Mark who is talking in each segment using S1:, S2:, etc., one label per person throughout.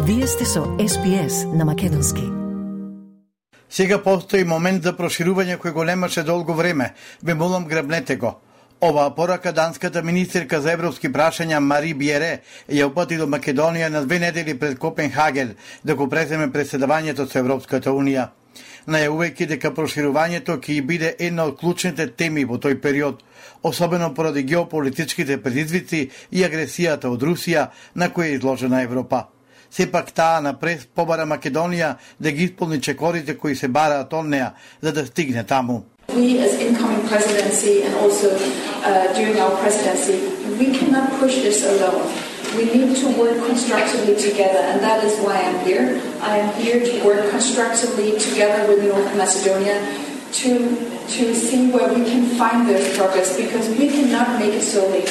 S1: Вие сте со SPS на македонски.
S2: Сега постои момент за проширување кој го немаше долго време. Ве молам, грабнете го. Оваа порака данската министерка за европски прашања Мари Бјере ја упати до Македонија на 2 недели пред Копенхаген да го преземе преседавањето со Европската Унија. Најавувајќи дека проширувањето ќе биде една од клучните теми во тој период, особено поради геополитичките предизвици и агресијата од Русија на која е изложена Европа. Сепак таа напред побара Македонија да ги исполни чекорите кои се бараат од неа за да стигне таму.
S3: We as incoming presidency and also during our presidency, we cannot push this alone. We need to work constructively together, and that is why I'm here. I am here to work constructively together with North Macedonia to see where we can find those progress, because we cannot make it solely.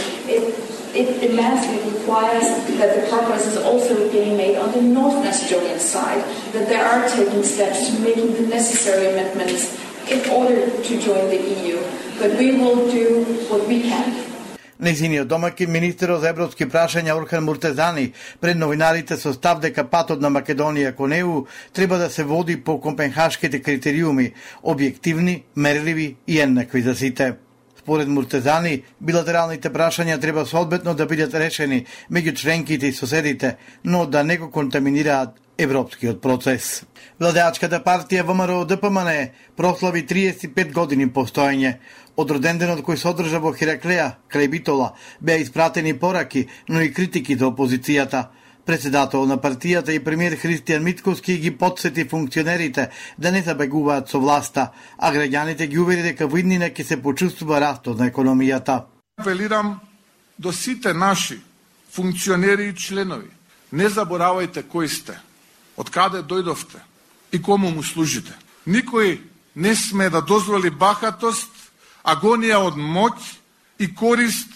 S3: It massively requires that the progress is also being made on the North Macedonian side, that they are taking steps to making the necessary amendments in order to join the EU. But we will do what we can.
S2: Нејзиниот домаќин, министерот за европски прашања Орхан Муртезани, пред новинарите со став дека патот на Македонија кон ЕУ треба да се води по копенхашките критериуми, објективни, мерливи и еднакви за сите. Според Муртезани, билатералните прашања треба соодветно да бидат решени меѓу членките и соседите, но да не го контаминираат европскиот процес. Владеачката партија ВМРО ДПМН прослави 35 години постоење. Од роденденот кој се одржа во Хераклеја, крај Битола, беа испратени пораки, но и критики за опозицијата. Председател на партијата и премиер Христијан Мицкоски ги потсети функционерите да не забегуваат со власта, а граѓаните ги увери дека во иднина ќе се почувствува растот на економијата.
S4: Апелирам до сите наши функционери и членови. Не заборавајте кои сте, од каде дојдовте и кому му служите. Никој не сме да дозволи бахатост, агонија од моќ и корист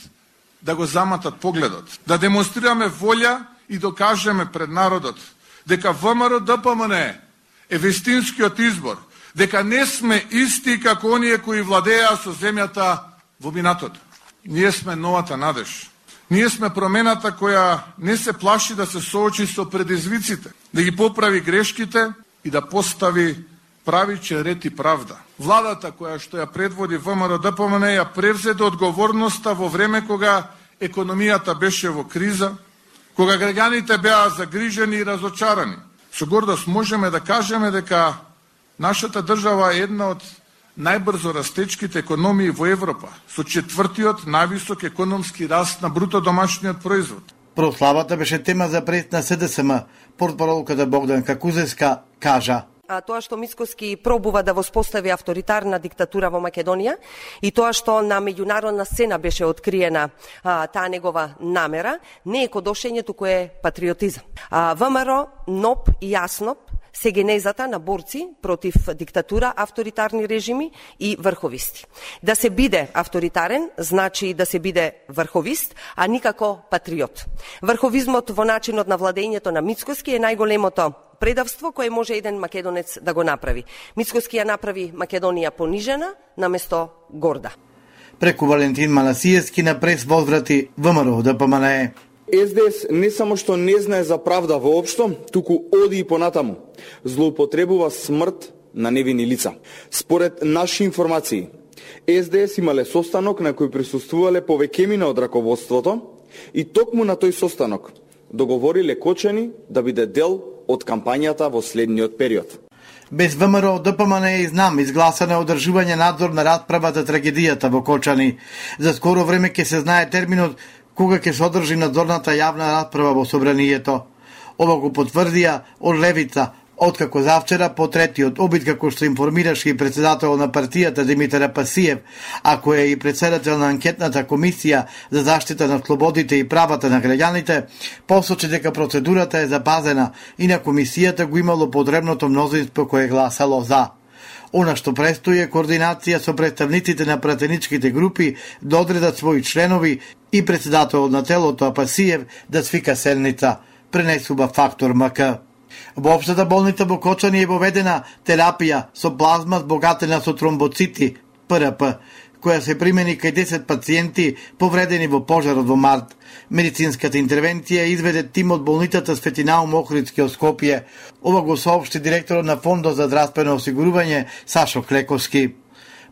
S4: да го заматат погледот. Да демонстрираме волја и докажеме пред народот дека ВМРО ДПМН е вистинскиот избор, дека не сме исти како оние кои владеа со земјата во минатото. Ние сме новата надеж. Ние сме промената која не се плаши да се соочи со предизвиците, да ги поправи грешките и да постави правичен ред и правда. Владата која што ја предводи ВМРО ДПМН ја превзеде одговорноста во време кога економијата беше во криза, кога граѓаните беа загрижени и разочарани. Со гордост можеме да кажеме дека нашата држава е една од најбрзо растечките економии во Европа, со 4-тиот највисок економски раст на бруто домашниот производ.
S2: Прославата беше тема за пред на СДСМ. Портпаролката Богданка Кузеска кажа:
S5: тоа што Мицкоски пробува да воспостави авторитарна диктатура во Македонија и тоа што на меѓународна сцена беше откриена таа негова намера, не е кодошење, туку е патриотизам. ВМРО, НОП и АСНОП се генезата на борци против диктатура, авторитарни режими и врховисти. Да се биде авторитарен значи да се биде врховист, а никако патриот. Врховизмот во начинот на владењето на Мицкоски е најголемото предавство кое може еден македонец да го направи. Мицкоски ја направи Македонија понижена наместо горда.
S2: Преку Валентин Манасиевски на прес возврати ВМРО ДПМН.
S6: СДС не само што не знае за правда воопшто, туку оди и понатаму. Злоупотребува смрт на невини лица. Според наши информации, СДС имале состанок на кој присуствувале повеќемина од раководството и токму на тој состанок договориле Кочани да биде дел од кампањата во следниот период.
S2: Без ВМРО ДПМН и знам изгласана одржување надзор на расправа за трагедијата во Кочани. За скоро време ќе се знае терминот кога ќе се одржи надзорната јавна расправа во собранието. Ова го потврдија од левица, откако завчера по третиот обид, како што информираше и председател на партијата Димитар Апасиев, а кој е и председател на анкетната комисија за заштита на слободите и правата на граѓаните, посочи дека процедурата е запазена и на комисијата го имало потребното мнозинство кое гласало за. Она што престои е координација со представниците на пратеничките групи да одредат своји членови и председател на телото Апасиев да свика седница, пренесува Фактор МК. Во општата болница во Кочани е воведена терапија со плазма збогатена со тромбоцити, ПРП, која се примени кај 10 пациенти повредени во пожарот во март. Медицинската интервенција изведе тим од болницата Свети Наум Охридски од Скопје. Ова го соопшти директорот на Фондот за здравствено осигурување Сашо Клековски.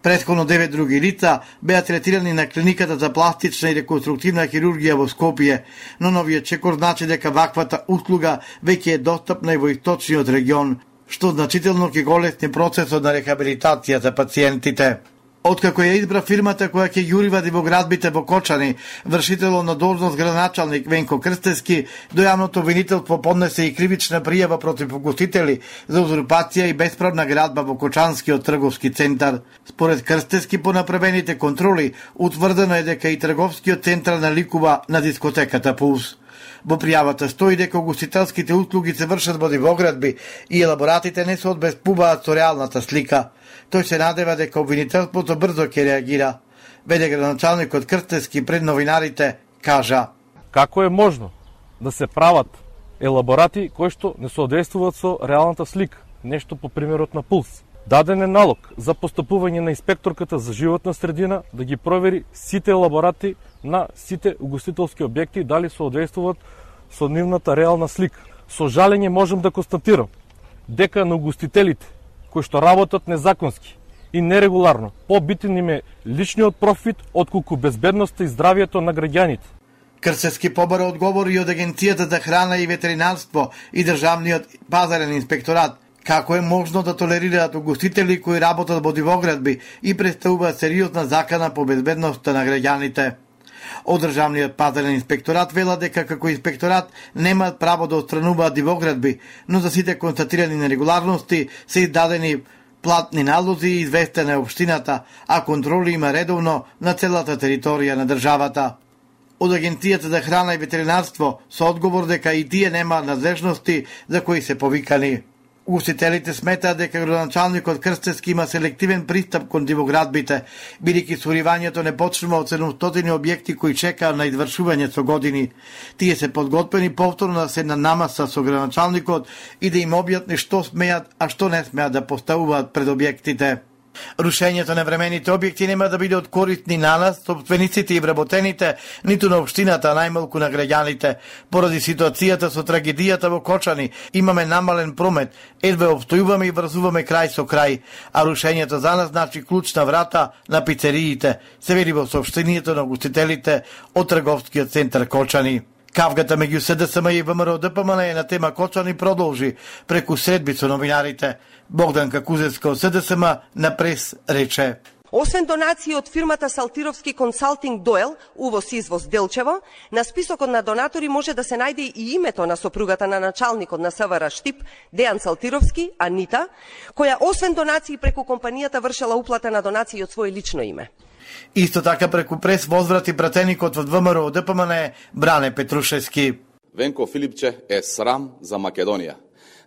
S2: Претходно 9 други лица беа третирани на клиниката за пластична и реконструктивна хирургија во Скопје, но новиот чекор значи дека ваквата услуга веќе е достапна и во источниот регион, што значително ќе голесни процесот на рехабилитација за пациентите. Откако ја избра фирмата која ќе јури вади во градбите во Кочани, вршителот на должност градоначалник Венко Крстевски до јавното обвинителство поднесе и кривична пријава против угостители за узурпација и бесправна градба во Кочанскиот трговски центар. Според Крстевски, по направените контроли, утврдено е дека и трговскиот центар наликува на дискотеката Пулс. Во пријавата стои дека угостителските услуги се вршат во дивоградби и елаборатите не се одбеспуваат со реалната слика. Тој се надева дека обвинителството брзо ќе реагира. Веде градоначалникот Крстевски пред новинарите кажа:
S7: како е можно да се прават елаборати кои што не соодействуваат со реалната слика, нешто по примерот на Пулс. Даден е налог за постапување на инспекторката за животна средина да ги провери сите елаборати на сите угостителски објекти дали соодействуваат со нивната реална слика. Со жалење можам да констатирам дека на угостителите кои што работат незаконски и нерегуларно, побитен им е личниот профит отколку безбедноста и здравието на граѓаните.
S2: Крстевски побара одговори од Агенцијата за храна и ветеринарство и Државниот пазарен инспекторат како е можно да толерираат угостители кои работат во дивоградби и представуваат сериозна закана по безбедноста на граѓаните. Од Државниот пазарен инспекторат вела дека како инспекторат немаат право да отстрануваат дивоградби, но за сите констатирани нерегуларности се издадени платни налози и известена е општината, а контроли има редовно на целата територија на државата. Од Агенцијата за храна и ветеринарство со одговор дека и тие немаат надлежности за кои се повикани. Угостителите сметаат дека градоначалникот Крстевски има селективен пристап кон дивоградбите, бидејќи суривањето не почнува од 700 објекти кои чекаат на извршување со години. Тие се подготвени повторно да се намаса со градоначалникот и да им објасни што смеат, а што не смеат да поставуваат пред објектите. Рушењето на времените објекти нема да биде од корист ни на нас, собствениците и вработените, ниту на општината, најмалку на граѓаните. Поради ситуацијата со трагедијата во Кочани, имаме намален промет, едве обстојуваме и врзуваме крај со крај, а рушењето за нас значи клучна врата на пицериите, се вели во соопштението на угостителите од трговскиот центар Кочани. Кавгата меѓу СДСМ и ВМРО ДПМН на тема Кочани продолжи преку средби со новинарите. Богданка Кузевска од СДСМ на прес рече:
S5: Освен донации од фирмата Салтировски консалтинг Доел, увоз-извоз Делчево, на списокот на донатори може да се најде и името на сопругата на началникот на СВР Штип, Дејан Салтировски, Анита, која освен донации преку компанијата вршела уплата на донации од своје лично име.
S2: Исто така преку прес возврати пратеникот од ВМРО ДПМН Бране Петрушевски.
S8: Венко Филипче е срам за Македонија.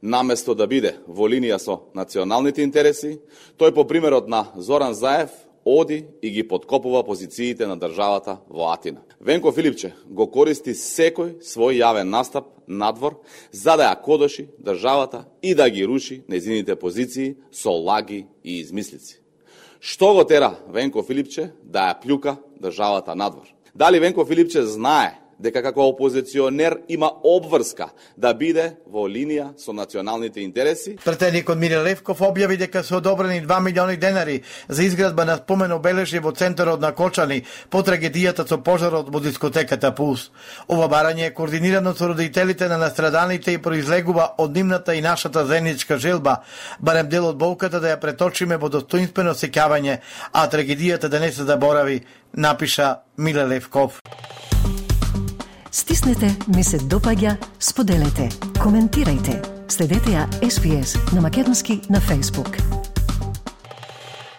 S8: Наместо да биде во линија со националните интереси, тој по примерот на Зоран Заев оди и ги подкопува позициите на државата во Атина. Венко Филипче го користи секој свој јавен настап надвор за да ја кодоши државата и да ги руши нејзините позиции со лаги и измислици. Што го тера Венко Филипче да ја плюка државата надвор? Дали Венко Филипче знае дека како опозиционер има обврска да биде во линија со националните интереси?
S2: Пратеникот Миле Левков објави дека се одобрени 2 милиони денари за изградба на спомен обележје во центарот на Кочани по трагедијата со пожарот во дискотеката Пулс. Ова барање е координирано со родителите на настраданите и произлегува од нивната и нашата заедничка желба, барем дел од болката да ја преточиме во достоинствено сеќавање, а трагедијата да не се заборави, напиша Миле Левков.
S1: Стиснете, ми се допаѓа, споделете, коментирајте. Следете ја SPS на Македонски на Facebook.